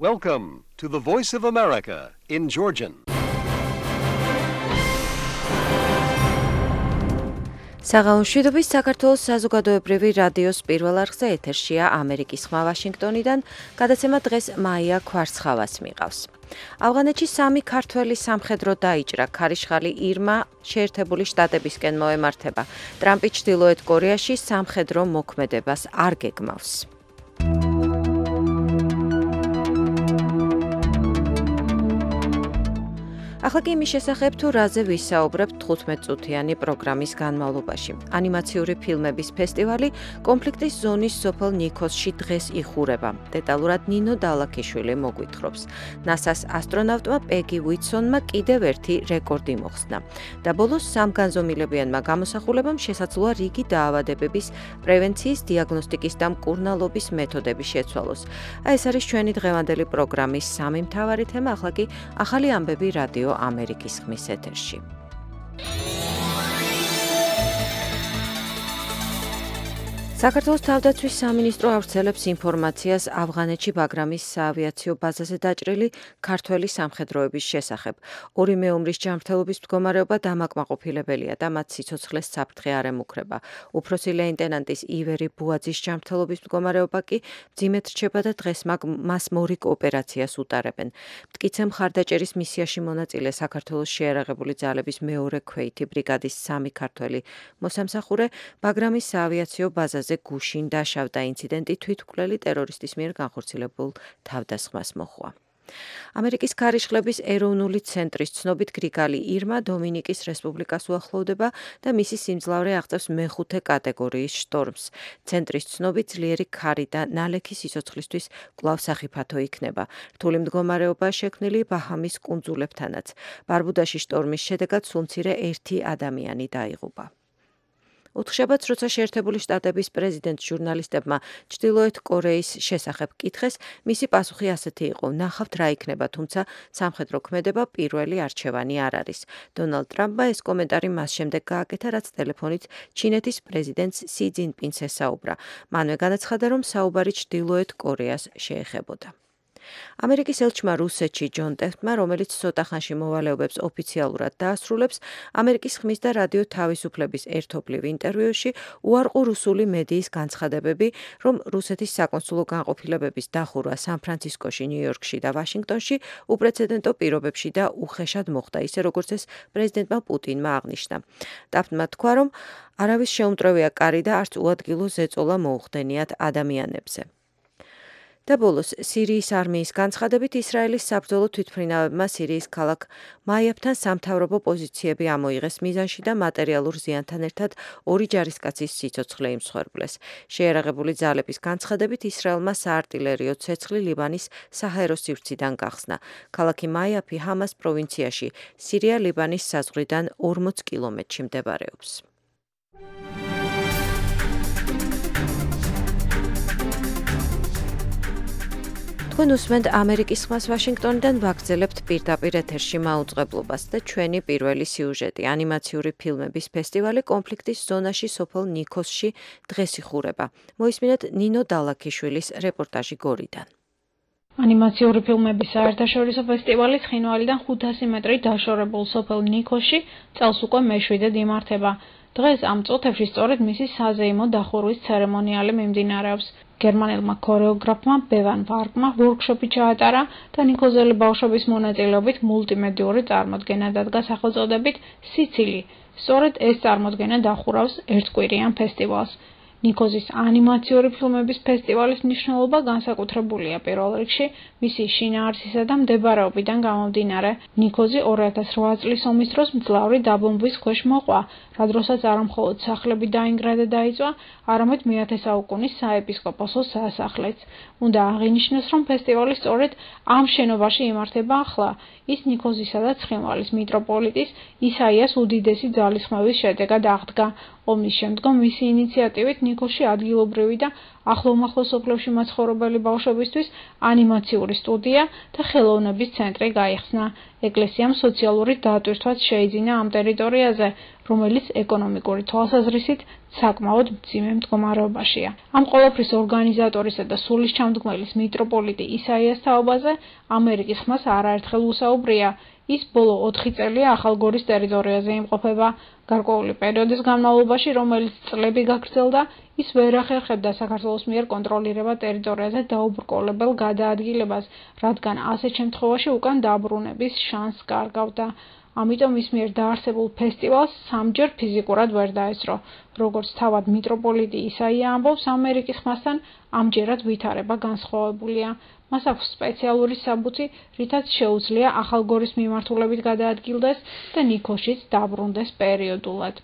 Welcome to the Voice of America in Georgian. საღამოშვიდობის საქართველოს საზოგადოებრივი რადიოს პირველ არხზე ეთერშია ამერიკის ხმა ვაშინგტონიდან, გადაცემა დღეს მაია ქვარცხავას მიყავს. ავღანეთში 3 ქართველი სამხედრო დაიჭრა, ქარიშხალი ირმა შეერთებული შტატებისკენ მოემართება. ტრამპი ჩრდილოეთ კორეაში სამხედრო მოქმედებას არ გეგმავს. ახლა კი იმის შესახებ, თუ რაზე ვისაუბრებთ 15-წუთიანი პროგრამის განმავლობაში. ანიმაციური ფილმების ფესტივალი კონფლიქტის ზონის სოფელ ნიქოსში დღეს იხურება. დეტალურად ნინო დალაქიშვილი მოგვითხრობს. ნასას ასტრონავტმა პეგი უიტსონმა კიდევ ერთი რეკორდი მოხსნა. და ბოლოს სამგანზომილებიანმა გამოსახულებამ შესაძლოა რიგი დაავადებების პრევენციის, დიაგნოსტიკის და მკურნალობის მეთოდები შეცვალოს. ეს არის ჩვენი დღევანდელი პროგრამის სამი მთავარი თემა, ახლა კი ახალი ამბები რადიო ამერიკის ხმის ეთერში. საქართველოს თავდაცვის სამინისტრო ავრცელებს ინფორმაციას ავღანეთში ბაგრამის საავიაციო ბაზაზე დაჭრილი ქართველი სამხედროების შესახებ. ორი მეომრის ჯანმრთელობის მდგომარეობა დამაკმაყოფილებელია და მათ სიცოცხლეს საფრთხე არ ემუქრება. უფროსი ლეიტენანტის ივერი ბუაძის ჯანმრთელობის მდგომარეობა კი მძიმედ რჩება და დღეს მას მორიგ ოპერაციას უტარებენ. მტკიცე მხარდაჭერის მისიაში მონაწილე საქართველოს შეიარაღებული ძალების მეორე ქვეითი ბრიგადის 3 ქართველი მოსამსახურე ბაგრამის საავიაციო ბაზაზე გუშინ დაშავდა. ინციდენტი თვითმკვლელი ტერორისტის მიერ განხორციელებულ თავდასხმას მოჰყვა. ამერიკის ქარიშხლების ეროვნული ცენტრის ცნობით გრიგალი ირმა დომინიკის რესპუბლიკას უახლოვდება და მისი სიმძლავრე აღწევს მეხუთე კატეგორიის შტორმს. ცენტრის ცნობით ძლიერი ქარი და ნალექი სიცოცხლისთვის კვლავ სახიფათო იქნება. რთული მდგომარეობაა შექმნილი ბაჰამის კუნძულებთანაც. ბარბუდაში შტორმის შედეგად სულმცირე 1 ადამიანი დაიღუპა. ოთხშაბათს, როცა შეერთებული შტატების პრეზიდენტს ჟურნალისტებმა ჩრდილოეთ კორეის შესახებ კითხეს, მისი პასუხი ასეთი იყო: ნახავთ რა იქნება, თუმცა სამხედრო ქმედება პირველი არჩევანი არ არის. დონალდ ტრამპმა ეს კომენტარი მას შემდეგ გააკეთა, რაც ტელეფონით ჩინეთის პრეზიდენტს სი ძინპინს ესაუბრა. მანვე განაცხადა, რომ საუბარი ჩრდილოეთ კორეას შეეხებოდა. ამერიკის ელჩმა რუსეთში ჯონ ტეფტმა, რომელიც ცოტა ხანში მოვალეობებს ოფიციალურად დაასრულებს, ამერიკის ხმის და რადიო თავისუფლების ერთობლივ ინტერვიუში უარყო რუსული მედიის განცხადებები, რომ რუსეთის საკონსულო განყოფილებების დახურვა სან-ფრანცისკოში, ნიუ-იორკში და ვაშინგტონში უპრეცედენტო პირობებში და უხეშად მოხდა, ისე როგორც ეს პრეზიდენტმა პუტინმა აღნიშნა. ტეფტმა თქვა, რომ არავის შეუმტვრევია კარი და არც უადგილო ზეწოლა მოუხდენიათ ადამიანებზე. და ბოლოს, სირიის არმიის განცხადებით, ისრაელის საბრძოლო თვითმფრინავებმა სირიის ქალაქ მაიაბთან სამთავრობო პოზიციები ამოიღეს მიზანში და მატერიალურ ზიანთან ერთად 2 ჯარისკაცის სიცოცხლე იმსხვერპლეს. შეიარაღებული ძალების განცხადებით, ისრაელმა საარტილერიო ცეცხლი ლიბანის საჰაერო სივრციდან გახსნა. ქალაქი მაიაბი ჰამას პროვინციაში, სირია-ლიბანის საზღვრიდან 40 კილომეტრში მდებარეობს. თქვენ უსმენთ ამერიკის ხმას ვაშინგტონიდან, ვაგრძელებთ პირდაპირ ეთერში მაუწყებლობას და ჩვენი პირველი სიუჟეტი. ანიმაციური ფილმების ფესტივალი კონფლიქტის ზონაში სოფელ ნიქოსში დღეს იხურება. მოისმინეთ ნინო დალაქიშვილის რეპორტაჟი გორიდან. ანიმაციური ფილმების საერთაშორისო ფესტივალი ცხინვალიდან 500 მეტრი დაშორებულ სოფელ ნიქოსში წელს უკვე მე-7-ად იმართება. დღეს ამ წუთებში სწორედ მისი საზეიმო დახურვის ცერემონიალი მიმდინარეობს. გერმანელმა ქორეოგრაფმა ბევან ვარკმა ვორქშოპი ჩაატარა და ნიქოზელი ბავშვების მონაწილეობით მულტიმედიური წარმოდგენა დადგა სახელწოდებით სიცილი. სწორედ ეს წარმოდგენა დახურავს ერთკვირიან ფესტივალს. ნიქოზის ანიმაციური ფილმების ფესტივალის მნიშვნელობა განსაკუთრებულია პირველ რიგში მისი შინაარსისა და მდებარეობიდან გამომდინარე. ნიქოზი 2008 წლის ომის დროს მძლავრი დაბომბვის ქვეშ მოყვა, რა დროსაც არა მხოლოდ სახლები დაინგრა და დაიწვა, არამედ მე-10 საუკუნის საეპისკოპოსო სასახლეც. უნდა აღინიშნოს, რომ ფესტივალი სწორედ ამ შენობაში იმართება ახლა. ის ნიქოზისა და ცხინვალის მიტროპოლიტის ისაიას უდიდესი ძალისხმევის შედეგად აღდგა. ომის შემდგომ მისი ინიციატივით ნიქოსში ადგილობრივი და ახლომახლო სოფლებში მაცხოვრებელი ბავშვებისთვის ანიმაციური სტუდია და ხელოვნების ცენტრი გაიხსნა. ეკლესიამ სოციალური დატვირთვაც შეიძინა ამ ტერიტორიაზე, რომელიც ეკონომიკური თვალსაზრისით საკმაოდ მძიმე მდგომარეობაშია. ამ ყველაფრის ორგანიზატორისა და სულისჩამდგმელის მიტროპოლიტი ისაიას თაობაზე ამერიკის ხმას არაერთხელ უსაუბრია. ის ბოლო 4 წელია ახალგორის ტერიტორიაზე იმყოფება. გარკვეული პერიოდის განმავლობაში, რომელიც წლები გაგრძელდა, ის ვერ ახერხებდა საქართველოს მიერ კონტროლირება ტერიტორიაზე დაუბრკოლებელ გადაადგილებას, რადგან ასეთ შემთხვევაში უკან დაბრუნების შანსს კარგავდა. ამიტომ ის მიერ დაარსებულ ფესტივალს სამჯერ ფიზიკურად ვერ დაესწრო. როგორც თავად მიტროპოლიტი ისაია ამბობს, ამერიკის ხმასთან ამჯერად ვითარება განსხვავებულია. მას აქვს სპეციალური საბუთი, რითაც შეუძლია ახალგორის მიმართულებით გადაადგილდეს და ნიქოზშიც დაბრუნდეს პერიოდულად.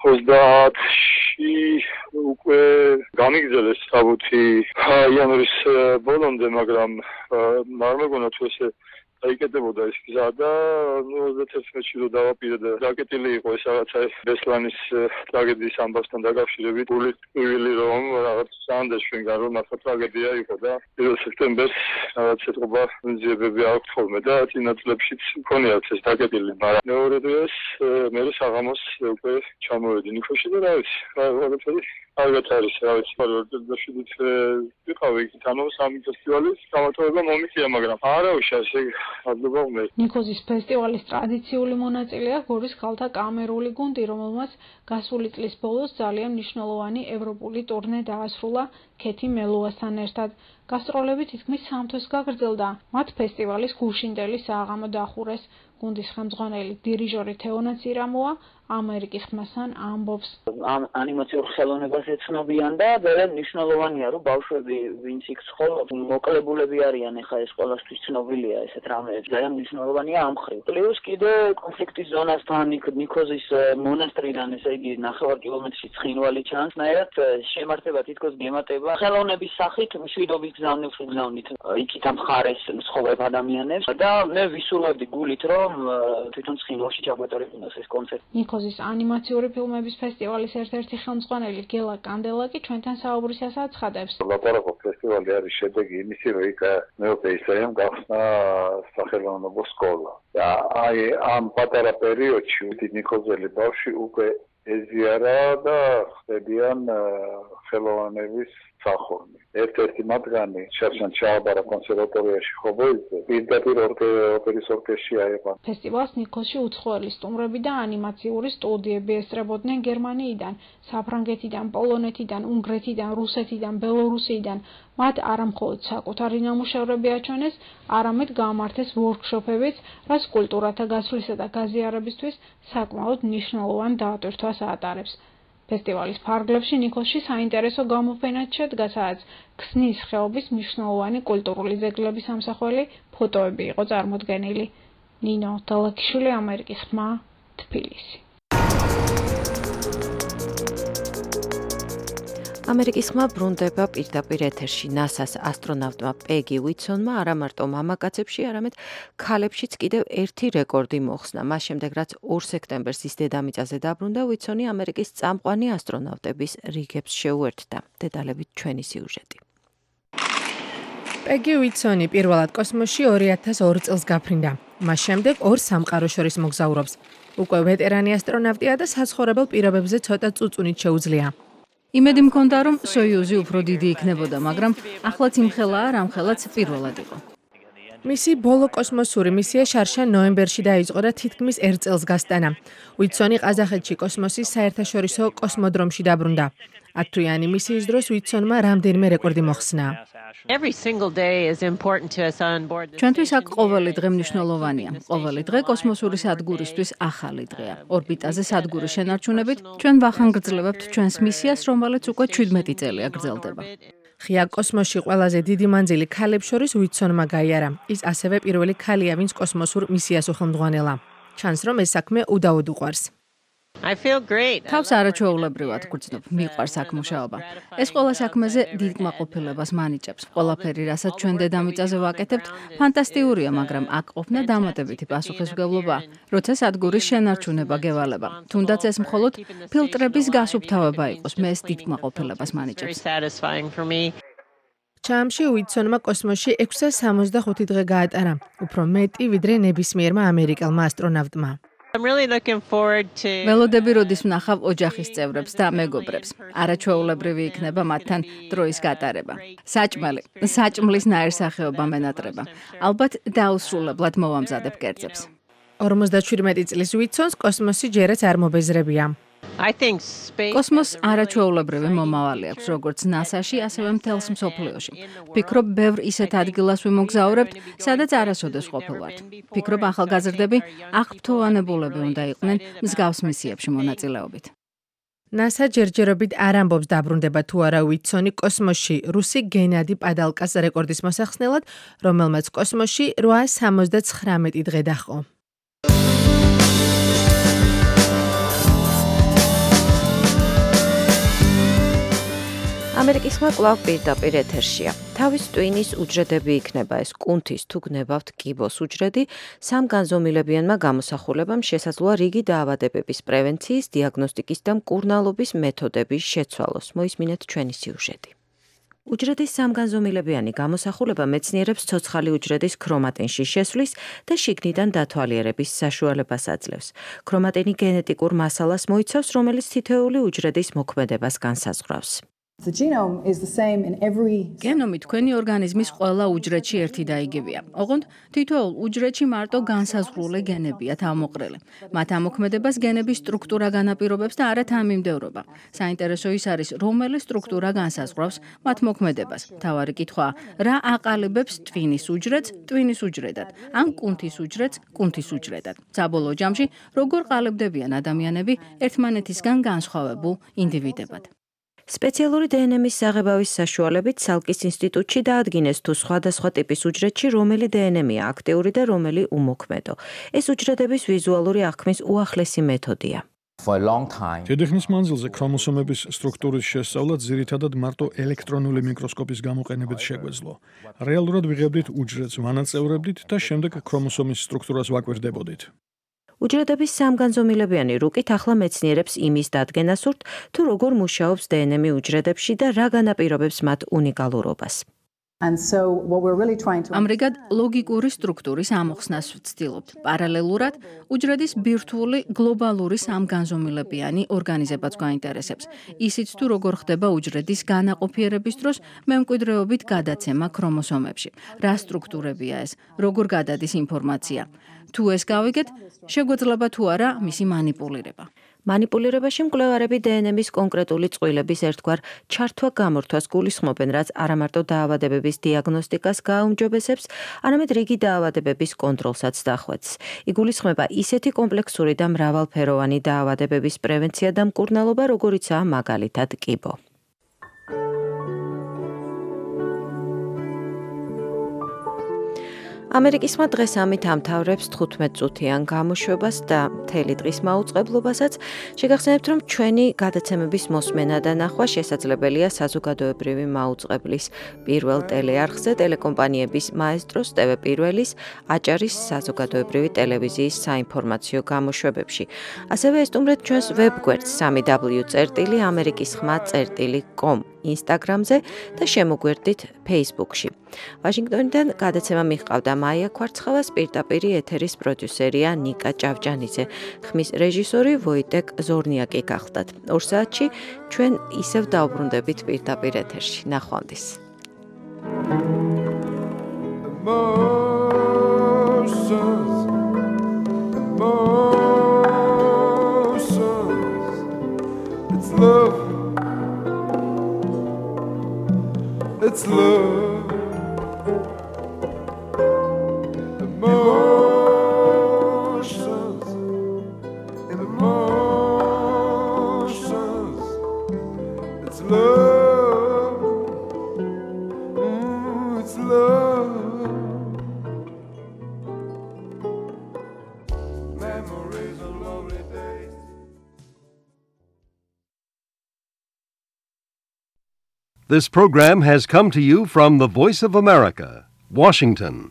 30-ში უკვე გამიგზელეს საბუთი იანვრის ბოლომდე, მაგრამ არ მეგონა თუ ესე დაიკეტებოდა ეს გზა და 31-ში რო დავაპირე და დაკეტილი იყო ეს რაღაცა ბესლანის ტრაგედიის ამბავთან დაკავშირებით გული რომ რაღაც სანდეს ჩვენგან რომ ახლა ტრაგედია იყო და 1 სექტემბერს რაღაც ეთყობა ძიებები აქვს ხოლმე და წინა წლებშიც მქონიათ ეს დაკეტილი, მაგრამ მეორე დღეს მე საღამოს უკვე ჩამოვედი ნიქოში და რა ვიცი, რაღაცა ალბათ არის, რა ვიცი, დაშვიდით ვიყავი იქ თანო სამი ფესტივალის გამარჯვება მომიწია, მაგრამ არავის ასე ნიქოზის ფესტივალის ტრადიციული მონაწილეა გორის ქალთა კამერული გუნდი, რომელმაც გასული წლის ბოლოს ძალიან მნიშვნელოვანი ევროპული ტურნე დაასრულა ქეთი მელუასთან ერთად. გასტროლები თითქმის 3 თვის გაგრძელდა. მათ ფესტივალის გუშინდელი საღამო დახურეს. გუნდის ხელმძღვანელი დირიჟორი თეონა ცირამოა ამერიკის ხმასთან ამბობს. ამ ანიმაციურ ხელოვნებას ეცნობიან და ძალიან მნიშვნელოვანია, რომ ბავშვები, ვინც იქ ცხოვრობს, მოკლებულები არიან, ეხა ეს ყველასთვის ცნობილია ესეთ რამეებს. ძალიან მნიშვნელოვანია ამ მხრივ. პლუს კიდე კონფლიქტის ზონასთან ნიქოზის მონასტრიდან, ესე იგი 9 კილომეტრში ცხინვალი ჩანს, ნაირად შემართება თითქოს გემატება. ხელოვნების სახით მშვიდობის გზავნებს უგზავნით იქით ამ მხარეს მსხოვებ ადამიანებს და მე ვისურვებდი გულით, რომ თვითონ ცხინვალში ჩაგვეტარებინოს ეს კონცერტი. ნიქოზის ანიმაციური ფილმების ფესტივალის ერთ-ერთი ხელმძღვანელი გელა კანდელა კი ჩვენთან საუბრისას აცხადებს. ლაპარაკობ ფესტივალი არის შედეგი იმისი, რომ იქ მეოთხე ისაიამ გახსნა სახელოვნებო სკოლა. და აი ამ პატარა პერიოდში ნიქოზელი ბავშვი უკვე ეზიარა და ხდებიან ხელოვნების სახორნი. ერთ-ერთი მათგანი შარშან ჩააბარა კონსერვატორიაში ხობოიძე, პირდაპირ ოპერის ორკესტრში აიყვანა. ფესტივალს ნიქოზში უცხოელი სტუმრები და ანიმაციური სტუდიები ესწრებოდნენ გერმანიიდან, საფრანგეთიდან, პოლონეთიდან, უნგრეთიდან, რუსეთიდან, ბელორუსიიდან. მათ არამხოლოდ საკუთარი ნამუშევრები აჩვენეს, არამედ გამართეს ვორქშოპებიც, რაც კულტურათა გაცვლისა და გაზიარებისთვის საკმაოდ მნიშვნელოვან დაატვირთვას ატარებს. ფესტივალის ფარგლებში ნიქოზში საინტერესო გამოფენად შედგა, სადაც ქსნის ხეობის მნიშვნელოვანი კულტურული ძეგლების ამსახველი ფოტოები იყო წარმოდგენილი. ნინო დალაკიშვილი, ამერიკის ხმა, თბილისი. ამერიკის ხმა ბრუნდება პირდაპირ ეთერში. NASA-ს ასტრონავტმა პეგი უიტსონმა არა მარტო მამაკაცებში, არამედ ქალებშიც კიდევ ერთი რეკორდი მოხსნა. მას შემდეგ, რაც 2 სექტემბერს ის დედამიწაზე დაბრუნდა, უიტსონი ამერიკის წამყვანი ასტრონავტების რიგებს შეუერთდა. დეტალებით ჩვენი სიუჟეტი. პეგი უიტსონი პირველად კოსმოსში 2002 წელს გაფრინდა. მას შემდეგ 2 სამყაროს შორის მოგზაურობს. უკვე ვეტერანი ასტრონავტია და საცხოვრებელ პირობებზე ცოტა წუწუნით შეუძლია. იმედი მქონდა, რომ სოიუზი უფრო დიდი იქნებოდა, მაგრამ ახლაც იმხელაა, რამხელაც პირველად იყო. მისი ბოლო კოსმოსური მისია შარშან ნოემბერში დაიწყო და თითქმის 1 წელს გასტანა. უიტსონი ყაზახეთში კოსმოსის საერთაშორისო კოსმოდრომში დაბრუნდა. 10 თვიანი მისიის დროს უიტსონმა რამდენიმე რეკორდი მოხსნა. ჩვენთვის აქ ყოველი დღე მნიშვნელოვანია. ყოველი დღე კოსმოსური სადგურისთვის ახალი დღეა. ორბიტაზე სადგურის შენარჩუნებით ჩვენ ვახანგრძლივებთ ჩვენს მისიას, რომელიც უკვე 17 წელია გრძელდება. ღია კოსმოსში ყველაზე დიდი მანძილი ქალებს შორის უიტსონმა გაიარა. ის ასევე პირველი ქალია, ვინც კოსმოსურ მისიას უხელმძღვანელა. ჩანს, რომ ეს საქმე უდაოდ უყვარს. თავს არაჩვეულებრივად გრძნობ, მიყვარს აქ მუშაობა. ეს ყველა საქმეზე დიდ კმაყოფილებას მანიჭებს. ყველაფერი, რასაც ჩვენ დედამიწაზე ვაკეთებთ, ფანტასტიკურია, მაგრამ აქ ყოფნა დამატებითი პასუხისმგებლობაა, როცა სადგურის შენარჩუნება გევალება. თუნდაც ეს მხოლოდ ფილტრების გასუფთავება იყოს, მე ეს დიდ კმაყოფილებას მანიჭებს. ჩამში უიტსონმა კოსმოსში 665 დღე გაატარა, უფრო მეტი ვიდრე ნებისმიერმა ამერიკელმა ასტრონავტმა. ველოდები როდის ვნახავ ოჯახის წევრებს და მეგობრებს. არაჩვეულებრივი იქნება მათთან დროის გატარება. საჭმლის ნაირსახეობა მენატრება. ალბათ დაუსრულებლად მოვამზადებ კერძებს. 57 წლის უიცონს კოსმოსი ჯერაც არ მობეზრებია. კოსმოსს არაჩვეულებრივი მომავალი აქვს, როგორც NASA-ში, ასევე მთელს მსოფლიოში. ვფიქრობ, ბევრ ისეთ ადგილას ვიმოგზაურებთ, სადაც არასოდეს ყოფილვართ. ვფიქრობ, ახალგაზრდები აღფრთოვანებულები უნდა იყვნენ მსგავს მისიებში მონაწილეობით. NASA ჯერჯერობით არ ამბობს დაბრუნდება თუ არა უიცონი კოსმოსში რუსი გენადი პადალკას რეკორდის მოსახსნელად, რომელმაც კოსმოსში 879 დღე დაჰყო. ამერიკის ხმა კვლავ პირდაპირ ეთერშია. თავის ტვინის უჯრედები იქნება ეს კუნთის თუ გნებავთ კიბოს უჯრედი, სამ განზომილებიანმა გამოსახულებამ შესაძლოა რიგი დაავადებების პრევენციის, დიაგნოსტიკის და მკურნალობის მეთოდების შეცვალოს. მოისმინეთ ჩვენი სიუჟეტი. უჯრედის სამგანზომილებიანი გამოსახულება მეცნიერებს ცოცხალი უჯრედის ქრომატინში შესვლის და შიგნიდან დათვალიერების საშუალებას აძლევს. ქრომატინი გენეტიკურ მასალას მოიცავს, რომელიც თითოეული უჯრედის მოქმედებას განსაზღვრავს. გენომი თქვენი ორგანიზმის ყველა უჯრედში ერთი და იგივეა. ოღონდ თითოეულ უჯრედში მარტო განსაზღვრული გენებია თავმოყრილი. მათ ამოქმედებას გენების სტრუქტურა განაპირობებს და არა თანმიმდევრობა. საინტერესო ის არის, რომელი სტრუქტურა განსაზღვრავს მათ მოქმედებას. მთავარი კითხვაა, რა აყალიბებს ტვინის უჯრედს ტვინის უჯრედად, ან კუნთის უჯრედს კუნთის უჯრედად. საბოლოო ჯამში, როგორ ყალიბდებიან ადამიანები ერთმანეთისგან განსხვავებულ ინდივიდებად. სპეციალური დნმ-ის საღებავის საშუალებით სალკის ინსტიტუტში დაადგინეს თუ სხვადასხვა ტიპის უჯრედში რომელი დნმ-ია აქტიური და რომელი უმოქმედო. ეს უჯრედების ვიზუალური აღქმის უახლესი მეთოდია. დიდი ხნის მანძილზე ქრომოსომების სტრუქტურის შესწავლა ძირითადად მარტო ელექტრონული მიკროსკოპის გამოყენებით შეგვეძლო. რეალურად ვიღებდით უჯრედს, ვანაწევრებდით და შემდეგ ქრომოსომის სტრუქტურას ვაკვირდებოდით. უჯრედების სამგანზომილებიანი რუკით ახლა მეცნიერებს იმის დადგენას სურთ, თუ როგორ მუშაობს დნმ უჯრედებში და რა განაპირობებს მათ უნიკალურობას. ამრიგად ლოგიკური სტრუქტურის ამოხსნას ვცდილობთ. პარალელურად უჯრედის ბირთვული გლობალური სამგანზომილებიანი ორგანიზებაც გვაინტერესებს. ისიც თუ როგორ ხდება უჯრედის განაყოფიერების დროს მემკვიდრეობით გადაცემა ქრომოსომებში. რა სტრუქტურებია ეს? როგორ გადადის ინფორმაცია? თუ ეს გავიგეთ, შეგვეძლება თუ არა მისი მანიპულირება. მანიპულირებაში მკვლევარები დნმ-ის კონკრეტული წყვილების ერთგვარ ჩართვა-გამორთვას გულისხმობენ, რაც არამარტო დაავადებების დიაგნოსტიკას გააუმჯობესებს, არამედ რიგი დაავადებების კონტროლსაც დახვეწს. იგულისხმება ისეთი კომპლექსური და მრავალფეროვანი დაავადებების პრევენცია და მკურნალობა, როგორიცაა მაგალითად კიბო. ამერიკის ხმა დღეს ამით ამთავრებს 15 წუთიან გამოშვებას და მთელი დღის მაუწყებლობასაც. შეგახსენებთ, რომ ჩვენი გადაცემების მოსმენა და ნახვა შესაძლებელია საზოგადოებრივი მაუწყებლის პირველ ტელეარხზე, ტელეკომპანიების მაესტროს, TV1-ის, აჭარის საზოგადოებრივი ტელევიზიის საინფორმაციო გამოშვებებში. ასევე ესტუმრეთ ჩვენს ვებგვერდს www.amerikisxma.com Instagram-ზე და შემოგვერდით Facebook-ში. ვაშინგტონიდან გადაცემა მიჰყავდა მაია ქვარცხავას, პირდაპირ ეთერის პროდიუსერია ნიკა ჭავჭანიძე, ხმის რეჟისორი ვოიტეკ ზორნიაკი გახლდათ. 2 საათში ჩვენ ისევ დავბრუნდებით პირდაპირ ეთერში. ნახვამდის. It's love. Emotions. It's love. It's love. Memories of lovely days. This program has come to you from the Voice of America, Washington.